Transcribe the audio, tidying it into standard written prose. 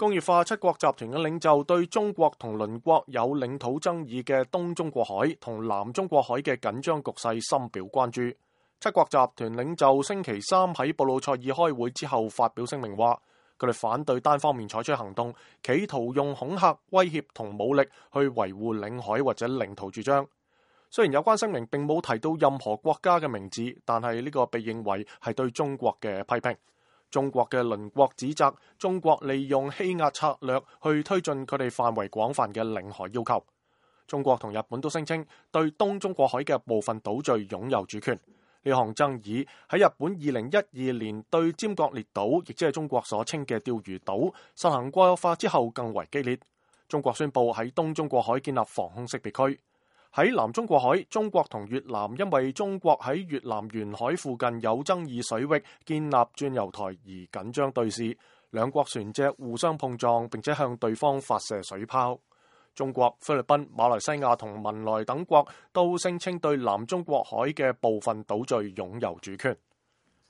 工業化七國集團嘅領袖對中國同鄰國有領土爭議嘅東中國海同南中國海嘅緊張局勢深表關注。七國集團領袖星期三喺布魯塞爾開會之後發表聲明話，佢哋反對單方面採取行動，企圖用恐嚇、威脅同武力去維護領海或者領土主張。雖然有關聲明並冇提到任何國家嘅名字，但係呢個被認為係對中國嘅批評。中國嘅鄰國指責中國利用欺壓策略去推進佢哋範圍廣泛嘅領海要求。中國同日本都聲稱對東中國海嘅部分島嶼擁有主權。呢項爭議喺日本2012年對尖閣列島，亦即係中國所稱嘅釣魚島，實行國有化之後更為激烈。中國宣布喺東中國海建立防空識別區。喺南中國海，中國同越南因為中國喺越南沿海附近有爭議水域建立鑽油台而緊張對峙，兩國船隻互相碰撞，並且向對方發射水炮。中國、菲律賓、馬來西亞同文萊等國都聲稱對南中國海嘅部分島嶼擁有主權。